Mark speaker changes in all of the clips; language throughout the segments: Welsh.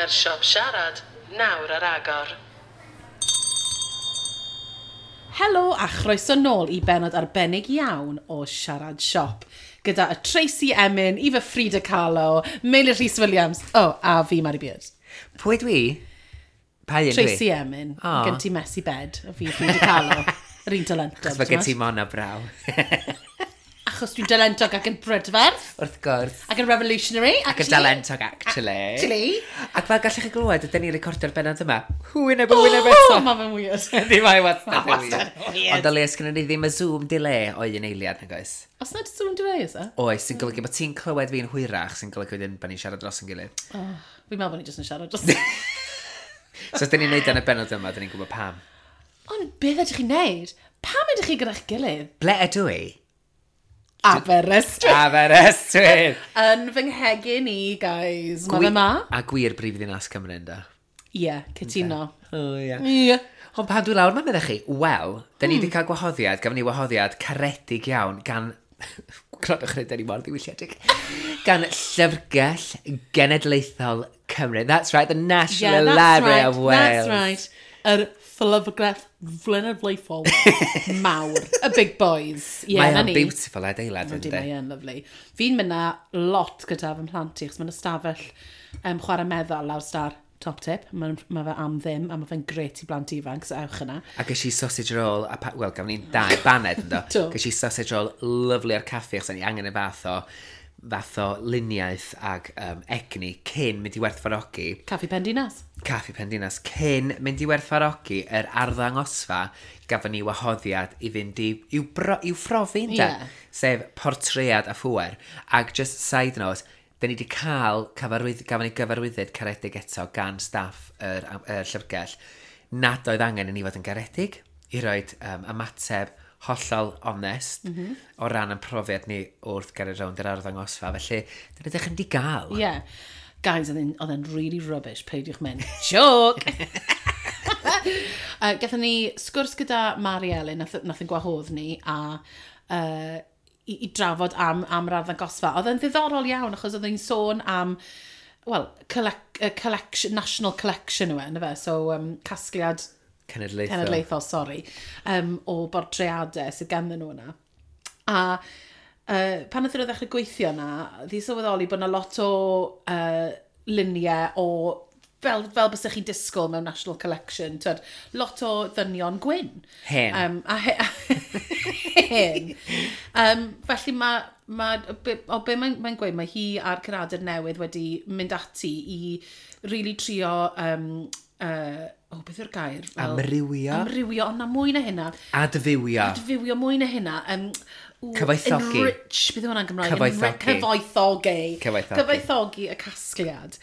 Speaker 1: Mae'r siop siarad nawr ar agor.
Speaker 2: Helo a chroeso nôl i benod arbennig iawn o Siarad Siop. Gyda y Tracy Emin, Eva Frida Kahlo, Meilir Rhys Williams, oh, a fi, Mari Beard.
Speaker 3: Pwy dwi? Pa un dwi?
Speaker 2: Tracy Emin,
Speaker 3: O.
Speaker 2: gen ti messy bed, a fi Frida Kahlo, yr un talentog.
Speaker 3: Achos mae gen ti mona braw.
Speaker 2: Achos dwi'n dalentog ac yn brydferth,
Speaker 3: Wrth gwrs.
Speaker 2: ac yn revolutionary,
Speaker 3: Ac yn
Speaker 2: actually.
Speaker 3: dalentog, actually.
Speaker 2: Actually.
Speaker 3: Ac fel gallech chi glywed, ydyn ni'n recordio'r bennod yma. Wyneb yn wyneb eto.
Speaker 2: Oh, mae fe'n weird.
Speaker 3: Yndi, mae wastad yn
Speaker 2: wastad yn
Speaker 3: weird.
Speaker 2: weird.
Speaker 3: Ond o leia, sgynnon ni ddim y Zoom delay o un eiliad, nag oes?
Speaker 2: Os nad Zoom delay, is e?
Speaker 3: Oes, sy'n golygu bod ti'n clywed fi'n hwyrach, sy'n golygu wedyn bod ni'n siarad dros yn gilydd.
Speaker 2: Oh, fi'n meddwl bod ni jyst yn siarad dros.
Speaker 3: So, os dyn ni'n neud yn y bennod yma, dyn ni'n gwybod pam.
Speaker 2: Ond beth ydych chi'n neud? Pam ydych chi gyda'ch gilydd?
Speaker 3: Ble ydw i?
Speaker 2: Aberystwyth.
Speaker 3: Aberystwyth!
Speaker 2: Yn fy nghegin i, guys. Mae fe ma?
Speaker 3: A gwir brif ddinas Cymru, ynddo?
Speaker 2: Ie, yeah, cytuno.
Speaker 3: O, ie.
Speaker 2: Ie.
Speaker 3: Ond pan dwi lawr, mae'n meddwl chi, wel, da ni wedi cael gwahoddiad, gafon ni wahoddiad caredig iawn gan... Gwrandwch chi, da ni mor ddiwylliedig. Gan Llyfrgell Genedlaethol Cymru. That's right, the National
Speaker 2: Yeah, that's
Speaker 3: Library
Speaker 2: right,
Speaker 3: of Wales.
Speaker 2: That's right. Yr llyfrgell flynyddlaethol mawr. Y big boys. Ie,
Speaker 3: Mae
Speaker 2: na
Speaker 3: o'n
Speaker 2: ni.
Speaker 3: beautiful adeilad,
Speaker 2: Yndi,
Speaker 3: yndi?
Speaker 2: mae e'n lyfli. Fi'n mynd na lot gyda fy mhlant i, achos mae'n ystafell chwarae meddal lawr star top tip. Mae ma fe am ddim, a mae fe'n gret i blant ifanc, so ewch yna.
Speaker 3: A ges i sausage roll, a pa, wel, gafon ni'n dau baned, ynddo?
Speaker 2: Do.
Speaker 3: Ges i sausage roll lyfli ar caffi, achos o'n i angen y fath o luniaeth ag egni cyn mynd i werthfawrogi
Speaker 2: Caffi Pendinas.
Speaker 3: Caffi Pendinas cyn mynd i werthfawrogi yr arddangosfa gafon ni wahoddiad i fynd i, i'w, bro, i'w phrofi, ynde?
Speaker 2: Ie.
Speaker 3: Sef portread a phŵer. Ac just side note, da ni wedi cael cyfarwydd, gafon ni gyfarwyddyd caredig eto gan staff yr llyfrgell nad oedd angen i ni fod yn garedig i roed ymateb hollol onest o ran ein profiad ni wrth gario rownd yr arddangosfa. Felly, dyna ydych chi'n di gael.
Speaker 2: Ie. Yeah. Guys, oedd e'n really rubbish, peidiwch mynd. Joke! Gathon ni sgwrs gyda Mari Elin, nath yn gwahodd ni, a i drafod am yr arddangosfa. Oedd e'n ddiddorol iawn, achos oedd e'n sôn am, well, collection, national collection yw e, yndyfe? So, casgliad
Speaker 3: Cenedlaethol.
Speaker 2: cenedlaethol, sorry, o bortreadau sydd ganddyn nhw yna. A pan nath nhw ddechrau gweithio yna, ddi sylweddoli bod yna lot o luniau o, fel bysech chi'n disgwyl mewn National Collection, twyd, lot o ddynion gwyn.
Speaker 3: Hen.
Speaker 2: A hen. Felly ma, o be mae'n gweud, mae hi a'r curadur newydd wedi mynd ati i really trio, o, beth yw'r gair? Fel,
Speaker 3: Amrywio.
Speaker 2: Amrywio, ond na mwy na hynna.
Speaker 3: Adfywio.
Speaker 2: Adfywio mwy na hynna.
Speaker 3: Cyfoethogi.
Speaker 2: Enrich, beth yw hwnna'n Gymraeg?
Speaker 3: Cyfoethogi.
Speaker 2: Cyfoethogi.
Speaker 3: Cyfoethogi.
Speaker 2: Cyfoethogi y casgliad.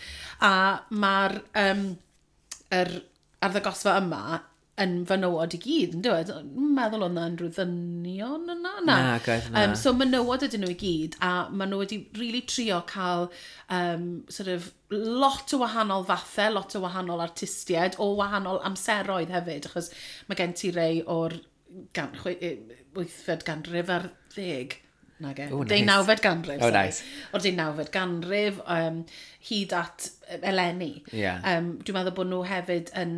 Speaker 2: A mae'r yr arddangosfa yma yn fenywod i gyd, yn dweud? Meddwl oedd na unrhyw ddynion yna? Na.
Speaker 3: Na, oedd na.
Speaker 2: So menywod ydyn nhw i gyd, a maen nhw wedi really trio cael sort of lot o wahanol fathau, lot o wahanol artistiaid, o wahanol amseroedd hefyd, achos mae gen ti rei o'r 8fed ganrif ar 10. Nage.
Speaker 3: Oh, nice.
Speaker 2: 19fed ganrif.
Speaker 3: Oh,
Speaker 2: sorry.
Speaker 3: nice.
Speaker 2: O'r 19fed ganrif, hyd at eleni.
Speaker 3: Ie.
Speaker 2: Dwi'n meddwl bod nhw hefyd yn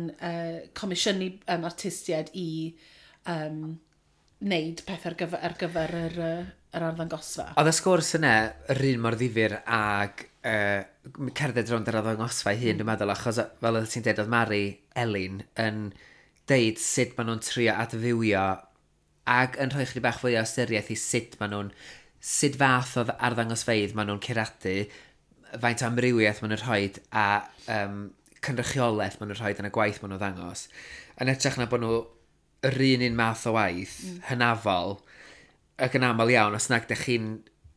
Speaker 2: comisiynu artistiaid i wneud pethau ar gyfer yr arddangosfa.
Speaker 3: Oedd y sgwrs yna yr un mor ddifyr ag cerdded rownd yr arddangosfa ei hun, dwi'n meddwl, achos fel oedd ti'n dweud, oedd Mari Elin yn deud sut maen nhw'n trio adfywio ac yn rhoi chydig bach fwy o ystyriaeth i sut maen nhw'n, sut fath o arddangosfeydd maen nhw'n curadu, faint o amrywiaeth maen nhw'n rhoi a cynrychiolaeth maen nhw'n rhoi yn y gwaith maen nhw'n ddangos. Yn hytrach na bod nhw yr un math o waith, hynafol, ac yn aml iawn, os nag dych chi'n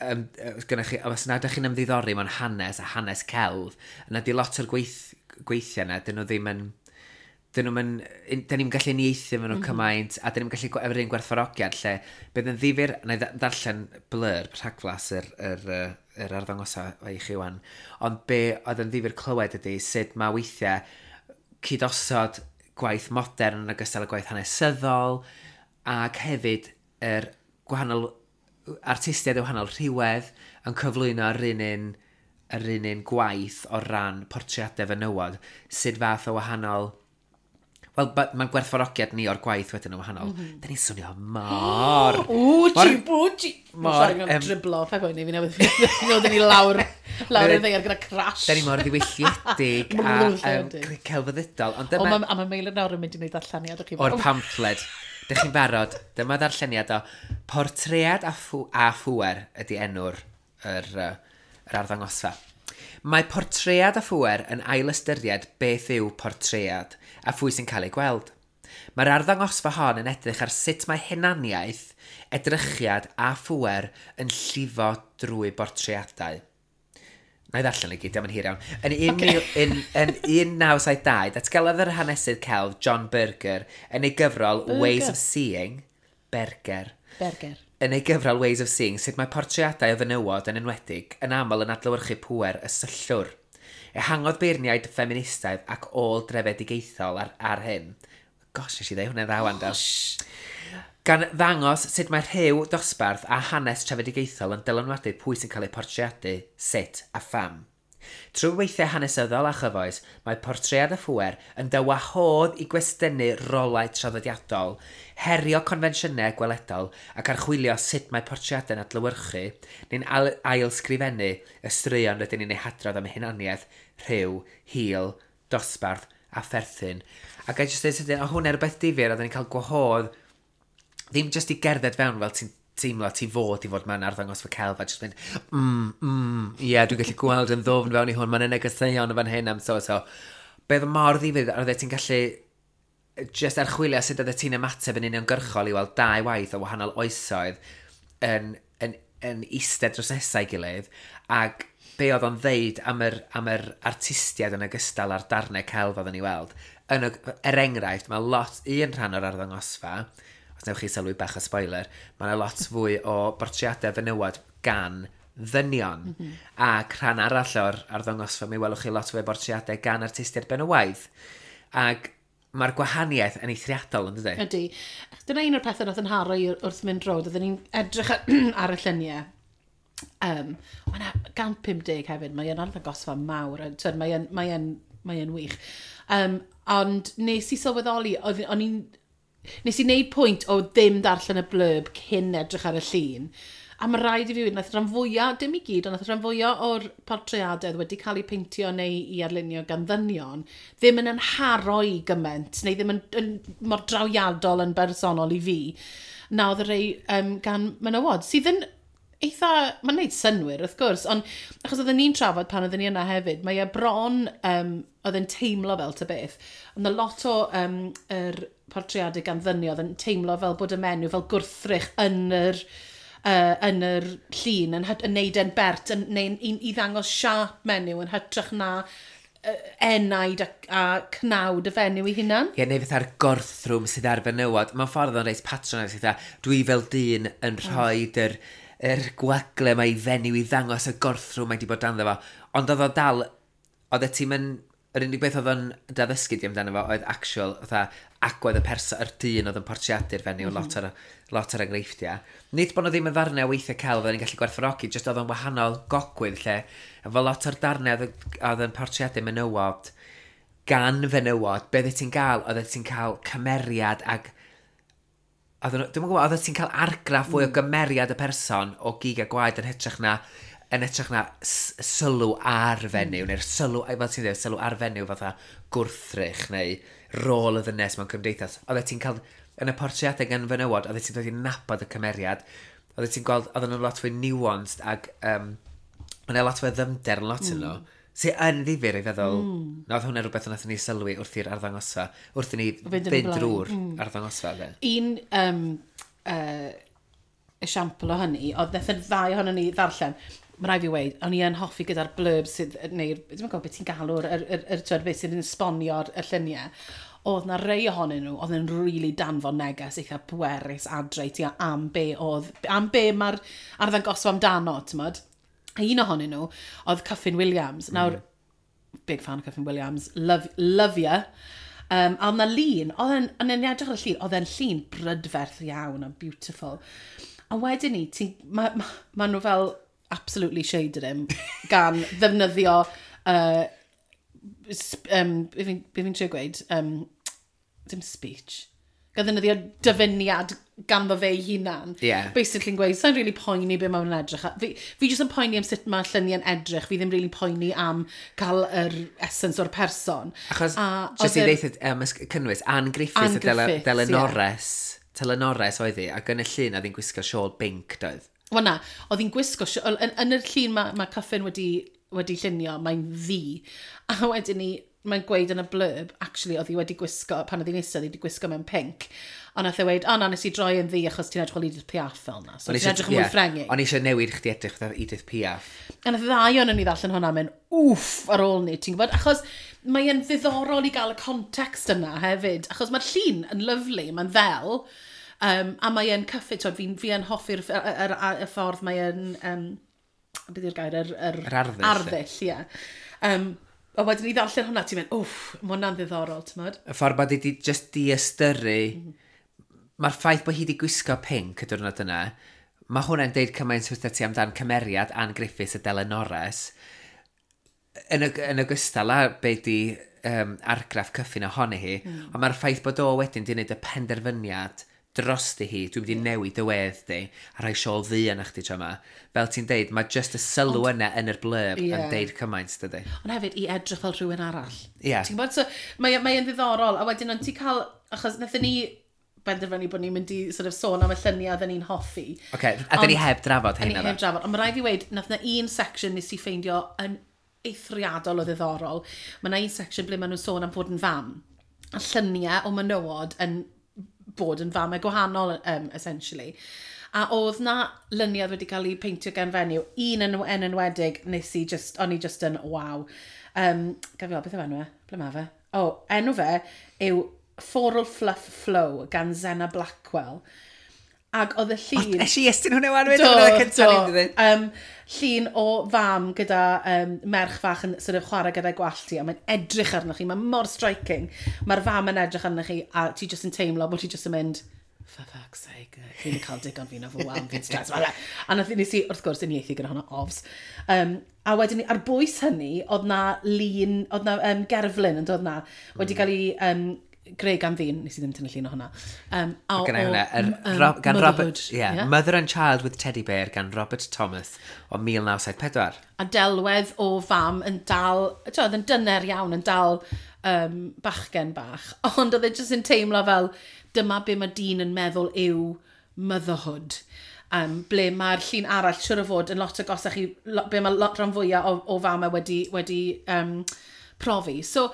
Speaker 3: os nag dych chi'n ymddiddori mewn hanes a hanes celf, yna di lot o'r gweithiau yna, dyn nhw ddim yn, dyn nhw'n, dyn ni'n gallu uniaethu efo nhw cymaint, a dyn ni'n gallu efo'r un gwerthfawrogiad, lle bydd yn ddifyr, na i ddarllen blurb rhagflas yr arddangosfa i chi wan, ond be oedd yn ddifyr clywed ydy sut mae weithiau cydosod gwaith modern yn ogystal â gwaith hanesyddol, ac hefyd yr gwahanol artistiaid o wahanol rhywedd yn cyflwyno yr un yr un un gwaith o ran portreadau fenywod, sut fath o wahanol. Wel, mae'n gwerthfawrogiad ni o'r gwaith wedyn yn wahanol. Da ni'n swnio mor
Speaker 2: Wchi, bwchi. Mor, Sorry, driblo, pa boeni, fi newydd ddod ni lawr, lawr y ddaear gyda crash.
Speaker 3: Da ni mor ddiwylliedig a celfyddydol.
Speaker 2: Ond dyma. A mae Meilir nawr yn mynd i wneud darlleniad o
Speaker 3: chi. O'r pamffled. Dych chi'n barod? Dyma ddarlleniad o Portread a Phŵer ydy enw'r yr arddangosfa. Mae portread a phŵer yn ailystyried beth yw portread a phwy sy'n cael ei gweld. Mae'r arddangosfa hon yn edrych ar sut mae hunaniaeth, edrychiad a phŵer yn llifo drwy bortreadau. Na i ddarllen i gyd, diolch yn hir iawn. Yn, un okay. yn 1972, datgelodd yr hanesydd celf John Berger yn ei gyfrol Berger. Ways of Seeing, Berger.
Speaker 2: Berger.
Speaker 3: Yn ei gyfrol Ways of Seeing, sut mae portreadau o fenywod yn enwedig yn aml yn adlewyrchu pŵer y syllwr. Ehangodd beirniaid ffeministaidd ac ôl-drefedigaethol ar hyn. Gosh, nes i ddeud hwnna'n dda wan, do. Gan ddangos sut mae rhyw dosbarth a hanes trefedigaethol yn dylanwadu pwy sy'n cael eu portreadu, sut a pham. Trwy weithiau hanesyddol a chyfoes, mae portread y phŵer yn dy wahodd i gwestiynu rolau traddodiadol, herio confensiynau gweledol ac archwilio sut mae portreadau'n adlewyrchu neu'n ailsgrifennu y straeon rydyn ni'n eu hadrodd am hunaniaeth, rhyw, hil, dosbarth a pherthyn. Ac I just dweud sydyn, o hwnna rhywbeth difyr, oedden ni'n cael gwahodd ddim just i gerdded fewn fel ti'n teimlo ti fod i fod mewn arddangosfa celf a just mynd, ie, yeah, dwi'n gallu gweld yn ddwfn fewn i hwn, mae'n negeseuon yn fan hyn am so so. Beth mor ddifyr, oedd ti'n gallu just archwilio sut oedd ti'n ymateb yn uniongyrchol i weld dau waith o wahanol oesoedd yn eistedd dros nesau gilydd, ac be oedd o'n ddeud am yr artistiaid yn ogystal â'r darnau celf oedd yn ei weld. Er enghraifft, mae lot, un rhan o'r arddangosfa, os newch chi sylwi bach o spoiler, mae yna lot fwy o bortreadau fenywod gan ddynion. Ac rhan arall o'r arddangosfa, mi welwch chi lot fwy o bortreadau gan artistiaid benywaidd. Ac mae'r gwahaniaeth yn eithriadol, yn dydy?
Speaker 2: Ydy. Dyna un o'r pethau nath yn haro i wrth mynd rownd. Oedden ni'n edrych ar y lluniau. Mae yna 150 hefyd. Mae e'n arddangosfa mawr. A, twyd, mae e'n wych. Ond nes i sylweddoli, o'n i'n nes i wneud pwynt o ddim darllen y blurb cyn edrych ar y llun. A mae rhaid i fi weud, nath rhan fwyaf, dim i gyd, ond nath rhan fwyaf o'r portreadau wedi cael eu peintio neu i arlunio gan ddynion, ddim yn nharo i gymaint, neu ddim yn mor drawiadol yn bersonol i fi, na oedd y rei gan menywod, sydd yn eitha, mae'n neud synnwyr wrth gwrs, ond achos oedden ni'n trafod pan oedden ni yna hefyd, mae e bron, oedd e'n teimlo fel ta beth, ond y lot o yr portreadau gan ddynion oedd yn teimlo fel bod y menyw fel gwrthrych yn yr llun, yn neud e'n bert, neu i ddangos siâp menyw yn hytrach na enaid a cnawd y fenyw ei hunan.
Speaker 3: Ie, neu fatha'r gorthrwm sydd ar fenywod. Mewn ffordd o'n reit patronising, fatha, dwi fel dyn yn rhoi yr gwagle mae i fenyw i ddangos y gorthrwm mae di bod dan fo. Ond oedd o dal, oedd y tîm yn, yr unig beth oedd o'n daddysgu di amdano fo oedd actual, fatha, agwedd y person, yr dyn oedd yn portreadu'r fenyw, lot o'r enghreifftiau. Nid bod nhw ddim yn ddarnau o weithiau celf oedd yn gallu gwerthfawrogi, jyst oedd o'n wahanol gogwydd lle, efo lot o'r darnau oedd yn portreadu menywod, gan fenywod, be oedd ti'n gael, oedd ti'n cael cymeriad ag dwi'm yn gwybod, oedd ti'n cael argraff fwy o gymeriad y person o gig a gwaed yn hytrach na sylw ar fenyw, neu'r sylw, fel ti'n dweud, sylw ar fenyw fatha gwrthrych neu rôl y ddynes mewn cymdeithas. Oedd ti'n cael, yn y portreadau gan fenywod, oedd ti'n dod i nabod y cymeriad, oedd ti'n gweld, oedd nhw'n lot fwy nuanced ac yna lot fwy o ddyfnder yn lot yn nhw. Sy'n yn ddifyr i feddwl, na oedd hwnna rhywbeth wnaethon ni sylwi wrth i'r arddangosfa, wrth i ni
Speaker 2: fynd yn y
Speaker 3: fynd
Speaker 2: blaen.
Speaker 3: drwy'r arddangosfa, de.
Speaker 2: Un esiampl o hynny, oedd nath y ddau ohonon ni ddarllen, mae rhaid fi weud, o'n i yn hoffi gyda'r blurb sydd, neu'r, dwi'n gwybod beth ti'n galw'r, yr, twyd, beth sydd yn esbonio'r y lluniau. Oedd na rei ohonyn nhw, oedd yn really danfon neges eitha pwerus adre i ti am be mae'r arddangosfa amdano, ti'n? A un ohonyn nhw oedd Kyffin Williams. Nawr, big fan o Kyffin Williams, love, love ya. A oedd na lun, oedd e'n edrych ar y llun, oedd e'n llun brydferth iawn a beautiful. A wedyn ni, ma nhw fel absolutely shaded him gan ddefnyddio, be fi'n trio gweud, dim speech, gan ddefnyddio dyfyniad ganddo fe ei hunan.
Speaker 3: Yeah.
Speaker 2: Basically yn gweud, sa'n really poeni be mae'n edrych. Fi jyst yn poeni am sut mae lluniau'n edrych, fi ddim really poeni am cael yr essence o'r person.
Speaker 3: Achos, jyst i ddeud cynnwys, Anne Griffiths, Anne Griffiths, Delenores, yeah. Telenores oedd hi, ac yn y llun oedd hi'n gwisgo siôl binc, doedd?
Speaker 2: Wel na, oedd hi'n gwisgo, yn y llun mae Kyffin wedi llunio, mae'n ddu. A wedyn ni, mae'n gweud yn y blurb, actually, oedd hi wedi gwisgo, pan oedd hi'n eistedd, oedd hi wedi gwisgo mewn pink. Ond nath e weud, o na, nes i droi yn ddu achos ti'n edrych fel Edith Piaf fel na. So ti'n edrych yn mwy Ffrengig.
Speaker 3: O'n i eisiau newid chdi edrych fel Edith Piaf.
Speaker 2: A nath y ddau o'n ni ddarllen hwnna mynd, wff, ar ôl ni, ti'n gwybod? Achos mae'n ddiddorol i gael y context yna hefyd. Achos mae'r llun yn lyfli, mae'n ddel, a mae'n cyffit, fi yn hoffi'r y ffordd mae'n, beth yw'r gair, yr arddull, ie. A wedyn i ddarllen hwnna, ti'n mynd, wff, mae hwnna'n ddiddorol, ti'n modd?
Speaker 3: Y ffordd bod hi just diystyru, mae'r ffaith bod hi wedi gwisgo pink y diwrnod yna, mae hwnna'n deud cymaint wrth ti amdan cymeriad Anne Griffiths a Delenores, yn ogystal â be di argraff Kyffin ohoni hi, ond mae'r ffaith bod o wedyn di wneud y penderfyniad drosti hi, dwi'n mynd i newid y wedd di, a rhoi siôl ddu yna chdi tro yma. Fel ti'n deud, mae just y sylw yna yn yr blurb yn deud cymaint, dydy.
Speaker 2: Ond hefyd, i edrych fel rhywun arall.
Speaker 3: Yeah.
Speaker 2: Ti'n gwybod? So, mae'n ddiddorol, a wedyn ond ti'n cael, achos wnaethon ni benderfynu bod ni'n mynd i sort of sôn am y lluniau oedden ni'n hoffi.
Speaker 3: Oce, a dyn ni heb drafod
Speaker 2: heina. Ni heb drafod, ond mae rhaid fi weud, nath na un section nes i ffeindio yn eithriadol o ddiddorol. Mae na un section ble maen nhw'n sôn am fod yn fam. A lluniau o menywod yn bod yn famau gwahanol, essentially. A oedd na luniau wedi cael ei peintio gan fenyw, un yn enwedig, nes i just, o'n i just yn waw. Gaf i weld, beth yw enw e? Ble mae fe? O, enw fe yw Floral Fluff Flow gan Zena Blackwell. Ac oedd y llun...
Speaker 3: Es i estyn hwnna wan, wedyn hwnna cyntaf ni'n dweud.
Speaker 2: Llun o fam gyda merch fach yn sort of chwarae gyda'i gwallt hi, a mae'n edrych arnoch chi, mae'n mor striking. Mae'r fam yn edrych arnoch chi, a ti jyst yn teimlo bod ti jyst yn mynd, for fuck's sake, fi'n cael digon fi'n o fy fi'n stress. A nath nes i, wrth gwrs, uniaethu gyda hwnna, ofs. A wedyn, ar bwys hynny, oedd na lun, oedd na gerflun yn dod na, wedi cael ei greu gan ddyn, nes i ddim tynnu llun o hwnna.
Speaker 3: Gan Robert, yeah, yeah. Mother and Child with Teddy Bear gan Robert Thomas o 1974.
Speaker 2: A delwedd o fam yn dal, oedd yn dyner iawn, yn dal bachgen bach, ond oedd e jyst yn teimlo fel dyma be mae dyn yn meddwl yw motherhood. Ble mae'r llun arall, siwr o fod, yn lot agosach i, be mae lot rhan fwyaf o famau wedi profi. So,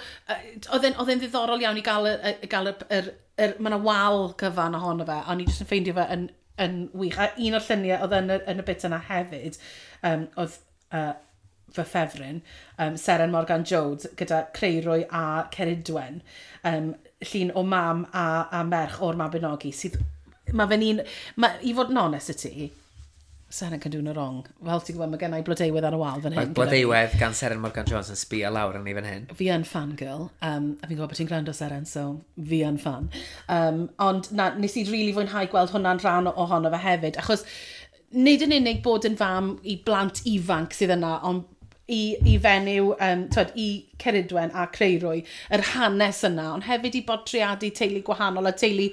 Speaker 2: oedd e'n ddiddorol iawn i gael mae yna wal cyfan ohono fe, a o'n i jyst yn ffeindio fe yn wych. A un o'r lluniau oedd yn y bit yna hefyd, oedd fy ffefryn, Seren Morgan Jones, gyda Creirwy a Ceridwen, llun o mam a merch o'r Mabinogi, sydd, mae fe'n un, i fod yn onest i ti, Seren can do no wrong. Fel ti'n gwybod, mae gen i blodeuwedd ar y wal fan hyn.
Speaker 3: Mae blodeuwedd gan Seren Morgan Jones yn sbio lawr arni fan hyn.
Speaker 2: Fi yn fangirl, a fi'n gwybod bod ti'n gwrando Seren, so fi yn fan. Ond na, nes i really fwynhau gweld hwnna'n rhan ohono fe hefyd, achos nid yn unig bod yn fam i blant ifanc sydd yna, ond i fenyw, i Ceridwen a Creirwy, yr hanes yna, ond hefyd i bortreadu teulu gwahanol a teulu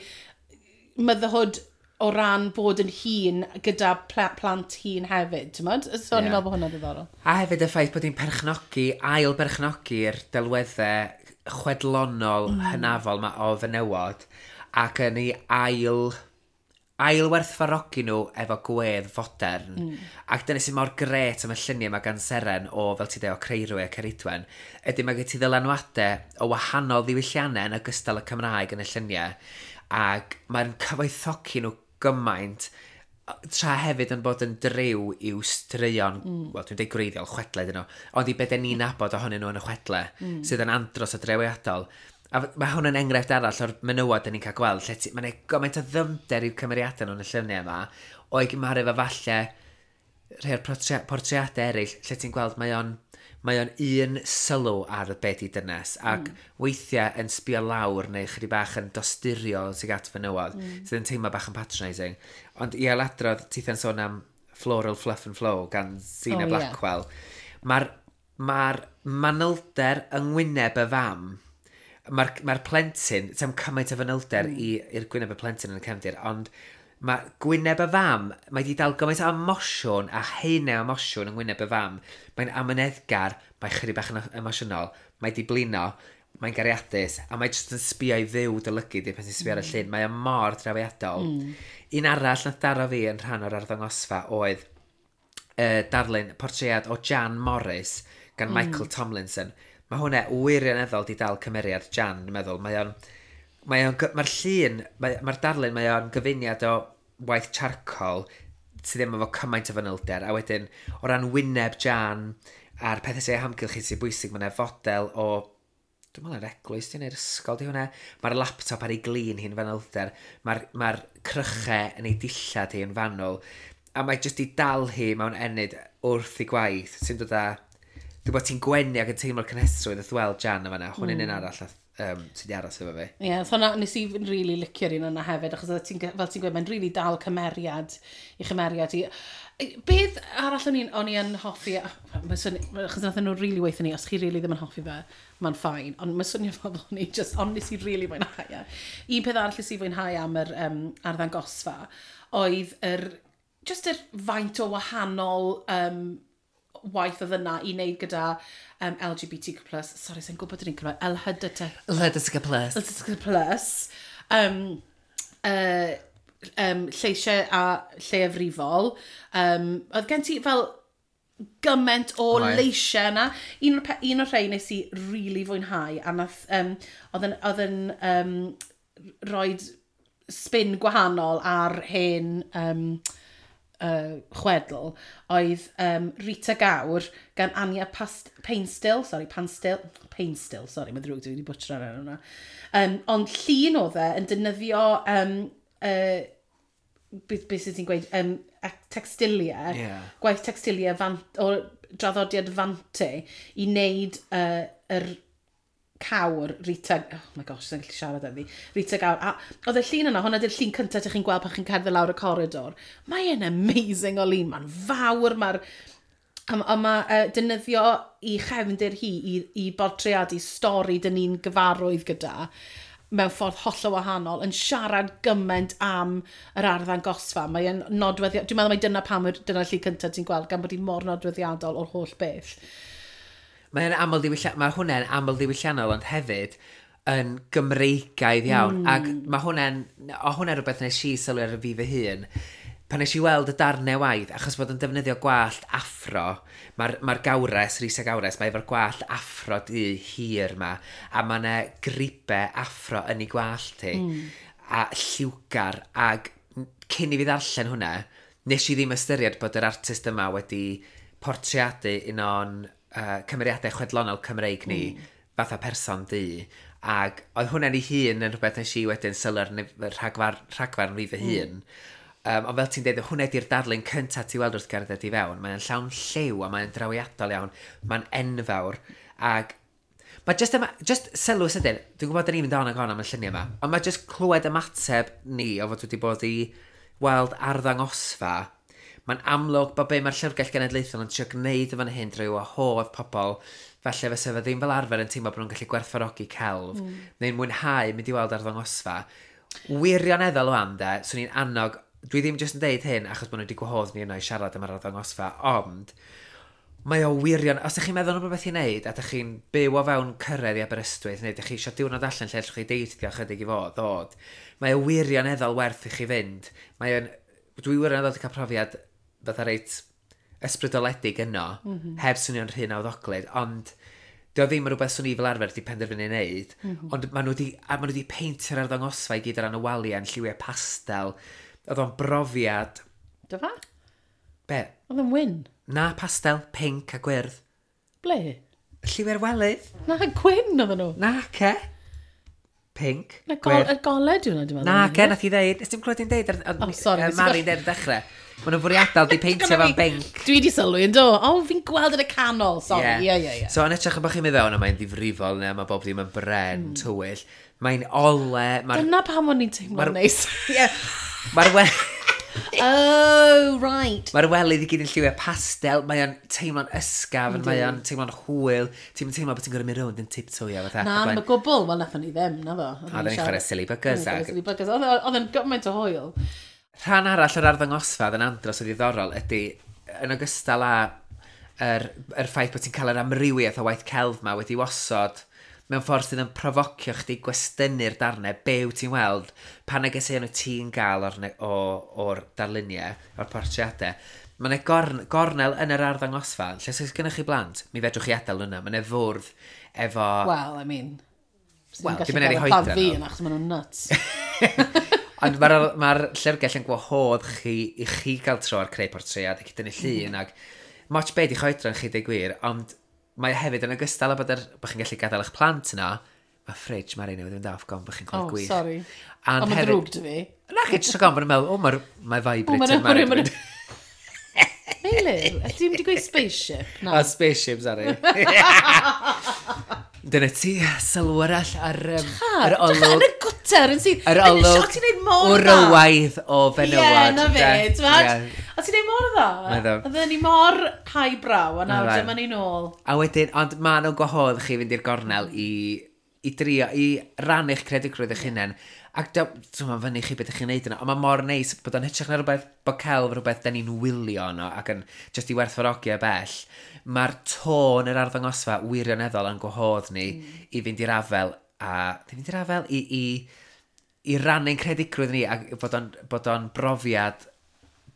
Speaker 2: motherhood o ran bod yn hun gyda plant hun hefyd, ti'n modd? So, o'n i'n meddwl bod hwnna'n ddiddorol.
Speaker 3: A hefyd y ffaith bod hi'n perchnogi, ail berchnogi'r delweddau chwedlonol hynafol ma o fenywod, ac yn ei ail werthfawrogi nhw efo gwedd fodern. Ac dyna sy'n mor gret am y lluniau mae gan Seren o, fel ti dweud, o Creirwy a Ceridwen, ydy mae gen ti ddylanwadau o wahanol ddiwylliannau yn ogystal y Cymraeg yn y lluniau, ac mae'n cyfoethogi nhw gymaint, tra hefyd yn bod yn driw i'w straeon, wel dwi'n dweud gwreiddiol, chwedlau dyn nhw, ond i beth ni'n nabod ohonyn nhw yn y chwedlau, sydd yn andros o drewiadol. A mae hwn yn enghraifft arall o'r menywod dyn ni'n cael gweld, lle mae'n gymaint o ddyfnder i'w cymeriadau nhw'n y lluniau yma, o'i gymharu efo falle rhai o'r portreadau eraill, lle ti'n gweld mae o'n un sylw ar y beth i dynes, ac weithiau yn sbio lawr neu chydig bach yn dosturiol sydd at fenywod, sydd yn teimlo bach yn patronising. Ond i ailadrodd, titha'n sôn am Floral Fluff and Flow gan Zena Blackwell. Mae'r manylder yng ngwyneb y fam, mae'r plentyn, ti'n cymaint o fanylder i'r gwyneb y plentyn yn y cefndir, ond mae gwyneb y fam, mae di dal gymaint o emosiwn a haenau emosiwn yng ngwyneb y fam. Mae'n amyneddgar, mae'n chydig bach yn emosiynol, mae di blino, mae'n gariadus, a mae jyst yn sbio i fyw dy lygu di pan ti'n sbio ar y llun. Mae o mor drawiadol. Un arall nath daro fi yn rhan o'r arddangosfa oedd darlun portread o Jan Morris gan Michael Tomlinson. Mae hwnna wirioneddol di dal cymeriad Jan, dwi'n meddwl. Mae'r llun, mae'r darlun, mae o'n gyfuniad o waith charcoal sydd ddim efo cymaint o fanylder. A wedyn, o ran wyneb Jan a'r pethau sy'n ei hamgylch sy'n bwysig, mae yna fodel o, dwi'n meddwl yr eglwys, di neu'r ysgol di hwnna. Mae'r laptop ar ei glin hi'n fanylder. Mae'r crychau yn ei dillad hi yn fanwl. A mae jyst i dal hi mewn ennyd wrth ei gwaith sy'n dod â... Dwi'n bod ti'n gwenu ac yn teimlo'r cynhesrwydd wrth weld Jan yma fan'na. Hwn yn un arall sydd wedi aros efo fi.
Speaker 2: Ie, yeah, so hwnna, nes i really licio'r un yna hefyd, achos oedd fel ti'n gweud, mae'n really dal cymeriad i chymeriad i. Beth arall o'n i yn hoffi, achos nath nhw really weithio ni, os chi really ddim yn hoffi fe, mae'n fine, ond mae'n swnio fel bod ni just, ond nes i really fwynhau e. Un peth arall nes i fwynhau am yr arddangosfa oedd just yr faint o wahanol waith oedd yna i wneud gyda LGBTQ+, sorry, sy'n gwybod dyn ni'n cymryd, LHDT.
Speaker 3: LHDTQ+.
Speaker 2: LHDTQ+. Lleisiau a lleiafrifol. Oedd gen ti fel gymaint o leisiau yna. Un o'r rhai nes i really fwynhau, a nath, oedd yn rhoid spin gwahanol ar hen chwedl oedd Rita Gawr gan Anya Painstill, sorry, Painstill, sorry, mae ddrwg, dwi wedi butcher ar enw hwnna. Ond llun oedd e yn defnyddio beth sydd ti'n gweud, textiliau, gwaith textiliau o draddodiad Fante i wneud yr cawr Rita, oh my gosh, sy'n gallu siarad â fi, Rita Gawr. A oedd y llun yna, hwnna di'r llun cyntaf ydych chi'n gweld pan chi'n cerdded lawr y coridor. Mae'n amazing o lun, mae'n fawr, mae'r... A mae defnyddio i chefndir hi i bortreadu stori dyn ni'n gyfarwydd gyda mewn ffordd hollol wahanol, yn siarad gymaint am yr arddangosfa. Mae'n nodweddiadol, dwi'n meddwl mai dyna pam dyna'r llun cyntaf ti'n gweld, gan bod hi mor nodweddiadol o'r holl beth.
Speaker 3: Mae hwnna'n aml ddiwylliannol, ond hefyd yn Gymreigaidd iawn. Ac mae hwnna'n rhywbeth nes i sylwi ar fi fy hun. Pan nes i weld y darnau waith, achos bod yn defnyddio gwallt afro, mae'r gawres, Risa Gawres, mae efo'r gwallt afro du hir ma, a mae yna gribau afro yn ei gwallt hi, a lliwgar, ac cyn i fi ddarllen hwnna, nes i ddim ystyried bod yr artist yma wedi portreadu un o'n cymeriadau chwedlonol Cymreig ni, fatha person du, ac oedd hwnna'n ei hun yn rhywbeth nes i wedyn sylwi ar rhagfarn fi fy hun. Ond fel ti'n dweud, hwnna di'r darlun cyntaf ti weld wrth gerdded i fewn. Mae'n llawn lliw a mae'n drawiadol iawn. Mae'n enfawr. Ac mae just sylw sydyn, dwi'n gwybod da ni'n mynd on ac on am y lluniau yma, ond mae just clywed ymateb ni o fod wedi bod i weld arddangosfa. Mae'n amlwg bod be mae'r Llyfrgell Genedlaethol yn trio gwneud yn fan hyn drwy wahodd pobl, falle fysa fe ddim fel arfer yn teimlo bod nhw'n gallu gwerthfawrogi celf, neu'n mwynhau mynd i weld arddangosfa. Wirioneddol o am de, swn i'n annog, dwi ddim jyst yn deud hyn achos bod nhw wedi gwahodd ni yno i siarad am yr arddangosfa, ond mae o wirion, os ydych chi'n meddwl am rhywbeth i wneud a ydych chi'n byw o fewn cyrraedd i Aberystwyth neu ydych chi eisiau diwrnod allan lle allwch chi deithio chydig i fod, ddod, mae o wirioneddol werth i chi fynd. Dwi wirioneddol wedi cael profiad fatha reit ysbrydoledig yno, heb swnio'n rhy nawddoglyd, ond dio ddim yn rhywbeth swn i fel arfer wedi penderfynu wneud, ond maen nhw wedi peintio'r arddangosfa i gyd ar ran y waliau yn lliwiau pastel. Oedd o'n brofiad...
Speaker 2: Do fa?
Speaker 3: Be?
Speaker 2: Oedd o'n wyn?
Speaker 3: Na, pastel, pink a gwyrdd.
Speaker 2: Ble?
Speaker 3: Lliwiau'r welydd.
Speaker 2: Na, gwyn oedden nhw.
Speaker 3: Na, ce. Pink,
Speaker 2: Na, gwyrdd. Y golau dwi'n meddwl.
Speaker 3: Na, ce, nath i ddeud. Nes ti'n clywed i'n deud?
Speaker 2: Oh, sorry.
Speaker 3: Mari'n deud ar dechrau. Maen nhw'n fwriadol di peintio fo'n binc.
Speaker 2: Dwi di sylwi yn do. O, fi'n gweld yn y canol, sorry. Ie.
Speaker 3: So, yn edrych yn bod chi'n mynd fewn, a mae'n ddifrifol, neu mae bob dim yn bren, tywyll. Mae'n ole.
Speaker 2: Dyna pam o'n i'n teimlo'n neis.
Speaker 3: Ie. Mae'r we...
Speaker 2: Oh, right.
Speaker 3: Mae'r welydd i gyd yn lliwiau pastel, mae o'n teimlo'n ysgafn, mae o'n teimlo'n hwyl. Ti'n teimlo bod ti'n gorfod mynd rownd yn tiptoeio fatha.
Speaker 2: Na, mae gwbl, wel, nathon ni ddim, na fo.
Speaker 3: A oedden ni'n chwarae silly buggers.
Speaker 2: Silly buggers. Oedd yn gymaint o hwyl.
Speaker 3: Rhan arall o'r arddangosfa oedd yn andros o ddiddorol ydy, yn ogystal â yr ffaith bod ti'n cael yr amrywiaeth o waith celf ma wedi osod mewn ffordd sydd yn profocio chdi gwestynnu'r darnau, be wyt ti'n weld, pa negeseuon wyt ti'n gael o'r, o'r darluniau, o'r portreadau. Mae yna gornel yn yr arddangosfa, lle os oes gennych chi blant, mi fedrwch chi adael yna. Mae yna fwrdd efo.
Speaker 2: Well, I mean,
Speaker 3: Wel, dim yn ei
Speaker 2: hoedran nhw. Fi yn achos maen nhw'n nuts.
Speaker 3: Ond mae'r ma llyfrgell yn gwahodd chi i chi gael tro ar creu portread ac i dynnu llun ac moch be di oedran chi deud gwir, ond mae hefyd yn ogystal â bod chi'n gallu gadael eich plant yna, mae fridge Mari newydd fynd off gon bod chi'n clywed
Speaker 2: Oh,
Speaker 3: gwych.
Speaker 2: Sorry.
Speaker 3: And
Speaker 2: Ond mae'n ddrwg dy fi.
Speaker 3: Na chi, jyst rhag ofn bod nhw'n meddwl, o, mae'r mae vibrator
Speaker 2: Mari.
Speaker 3: Mari.
Speaker 2: Meilir, ti'n mynd i gweud spaceship?
Speaker 3: Na. Oh, spaceship, sorry. Dyna ti, sylw arall ar yr olwg.
Speaker 2: Yn y gwter yn sydd.
Speaker 3: Yr olwg
Speaker 2: O, ti'n neud mor dda.
Speaker 3: wrywaidd o fenywod.
Speaker 2: Ie, na fe, ti'n O, ti'n neud mor dda. Oedden ni mor highbrow, a nawr dyma ni nôl.
Speaker 3: A wedyn, ond ma nhw'n gwahodd chi fynd i'r gornel i drio, i rannu'ch creadigrwydd eich hunain. Ac dwi'n fyny chi beth ydych chi'n neud yna, ond mae mor neis bod o'n hytrach na rhywbeth, bod celf rhywbeth da ni'n wylio yno ac yn just i werthfawrogi o bell. Mae'r tôn yr arddangosfa wirioneddol yn gwahodd ni i fynd i'r afel a, ddim fynd i'r afel, i rannu'n creadigrwydd ni ac bod o'n brofiad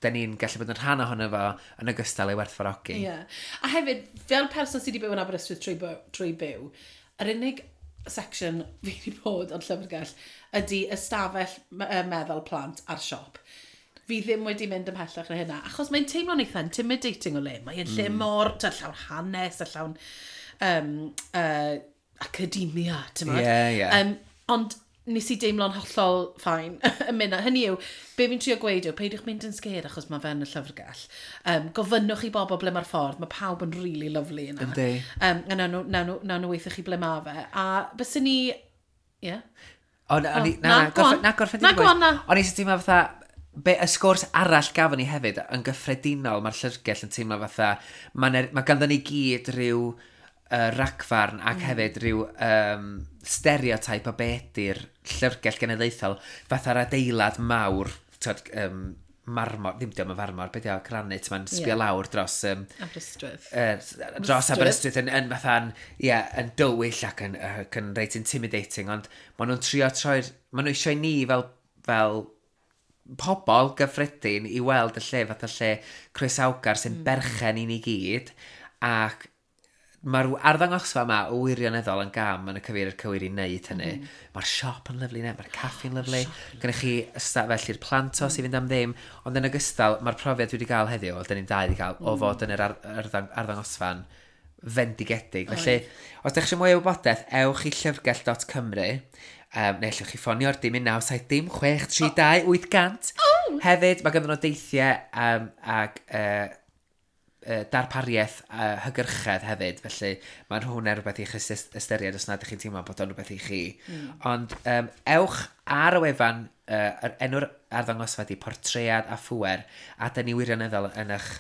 Speaker 3: da ni'n gallu bod yn rhan ohono fo yn ogystal ei werthfawrogi.
Speaker 2: Ie. Yeah. A hefyd, fel person sydd wedi byw yn Aberystwyth trwy byw, yr unig section fi wedi bod o'n llyfrgell ydy ystafell meddwl plant a'r siop. Fi ddim wedi mynd ymhellach na hynna, achos mae'n teimlo'n eitha intimidating o le. Mae'n lle mor, ta, llawn hanes a llawn academia, ti'n
Speaker 3: Ie, ie.
Speaker 2: Ond nes i deimlo'n hollol fine yn mynd. Hynny yw, be fi'n trio gweud yw, peidiwch mynd yn scared achos mae fe yn y llyfrgell. Gofynnwch i bobl ble mae'r ffordd, mae pawb yn really lovely yna.
Speaker 3: Yndi.
Speaker 2: A nawn nhw weithio chi ble mae fe. A byswn ni... Ie? Yeah.
Speaker 3: O, na,
Speaker 2: O,
Speaker 3: na,
Speaker 2: na,
Speaker 3: na,
Speaker 2: go on.
Speaker 3: na, gorffen
Speaker 2: Na,
Speaker 3: di
Speaker 2: go on, na.
Speaker 3: O'n i sy'n teimlo fatha, be, y sgwrs arall gafon ni hefyd, yn gyffredinol, mae'r llyfrgell yn teimlo fatha, mae ma ganddo ni gyd rhyw ragfarn ac hefyd rhyw stereotype o be ydy'r llyfrgell genedlaethol, fatha'r adeilad mawr, tyd, marmor, ddim diolch yn farmor, beth yw, granit, mae'n sbio lawr dros
Speaker 2: Aberystwyth.
Speaker 3: Dros Aberystwyth yn fatha'n, ie, yn dywyll ac yn reit intimidating, ond maen nhw'n trio troi'r, maen nhw eisiau ni fel pobl gyffredin i weld y lle fatha lle croesawgar sy'n berchen i ni gyd, ac mae'r arddangosfa yma o wirioneddol yn gam yn y cyfeiriad cywir i wneud hynny. Mae'r siop yn lyfli ne, mae'r caffi'n lyfli. Gennych chi ystafell i'r plantos i fynd am ddim, ond yn ogystal, mae'r profiad dwi wedi gael heddiw, wel, dyn ni'n dau wedi cael, o fod yn yr arddangosfa'n fendigedig. Felly, os ydych chi mwy o wybodaeth, ewch i llyfrgell.cymru, neu allwch chi ffonio'r dim 1 9 7 dim 6 3 2 800. Hefyd, mae ganddyn nhw deithiau ac darpariaeth hygyrchedd hefyd, felly mae'n hwnna rhywbeth i chi ystyried os nad ydych chi'n teimlo bod o'n rhywbeth i chi. Ond ewch ar y wefan, yr enw'r arddangosfa di Portread a Phŵer, a da ni wirioneddol yn eich...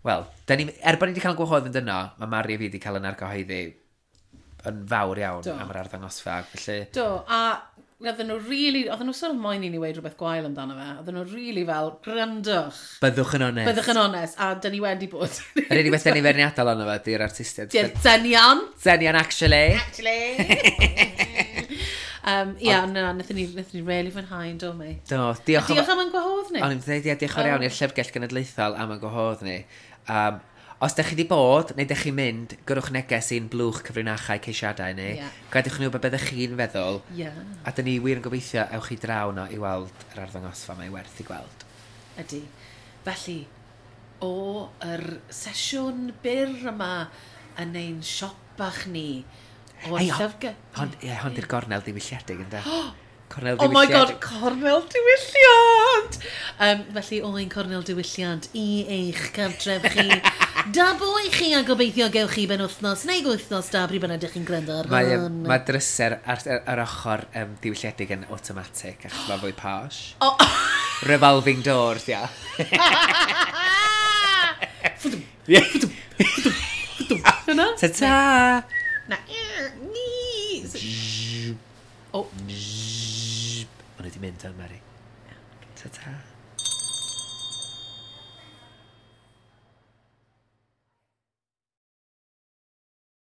Speaker 3: Wel, da ni, er bod ni wedi cael yn gwahodd fynd yno, mae Mari a fi wedi cael yn argyhoeddi yn fawr iawn am yr arddangosfa. Felly,
Speaker 2: Do, a oedden nhw really, oedden nhw sort of moyn i ni weud rhywbeth gwael amdano fe. Oedden nhw really fel, "Gwrandwch."
Speaker 3: Byddwch yn onest.
Speaker 2: Byddwch yn onest, a dyn ni wedi bod.
Speaker 3: Yr unig beth da ni feirniadol ono fe, di'r artistiaid.
Speaker 2: Di'r dynion.
Speaker 3: Dynion, actually.
Speaker 2: Actually. Ia, na, wnaethon ni really fwynhau yn do mi.
Speaker 3: Do, diolch.
Speaker 2: Diolch am yn gwahodd ni.
Speaker 3: O'n i'n dweud, ie, diolch yn fawr iawn i'r Llyfrgell Genedlaethol am y gwahodd ni. Os ydych chi wedi bod, neu ydych chi'n mynd, gyrwch neges i'n blwch cyfrinachau ceisiadau ni. Gadewch ni wybod beth ydych chi'n feddwl. A dyn ni wir yn gobeithio ewch chi draw no i weld yr arddangosfa, mae werth i gweld.
Speaker 2: Ydy. Felly, o yr sesiwn byr yma yn ein siop bach ni, o'r
Speaker 3: Ei,
Speaker 2: llyfrgell.
Speaker 3: Hon, ie, hon di'r gornel diwylliedig, ynddo? Cornel
Speaker 2: Oh my god,
Speaker 3: diwylliedig.
Speaker 2: Cornel diwylliant! Felly, o ein cornel diwylliant i eich cartref chi. Da bo i chi a gobeithio gewch chi benwythnos neu wythnos da pryd bynnag ydych chi'n gwrando ar
Speaker 3: Mae,
Speaker 2: hwn.
Speaker 3: mae dryser ar yr ochr diwylliedig yn automatic, achos mae fwy posh.
Speaker 2: Oh.
Speaker 3: Revolving doors, ia.
Speaker 2: Hwna?
Speaker 3: Ta-ta!
Speaker 2: Na. O.
Speaker 3: O'n i wedi mynd o'n Mary. Ta-ta.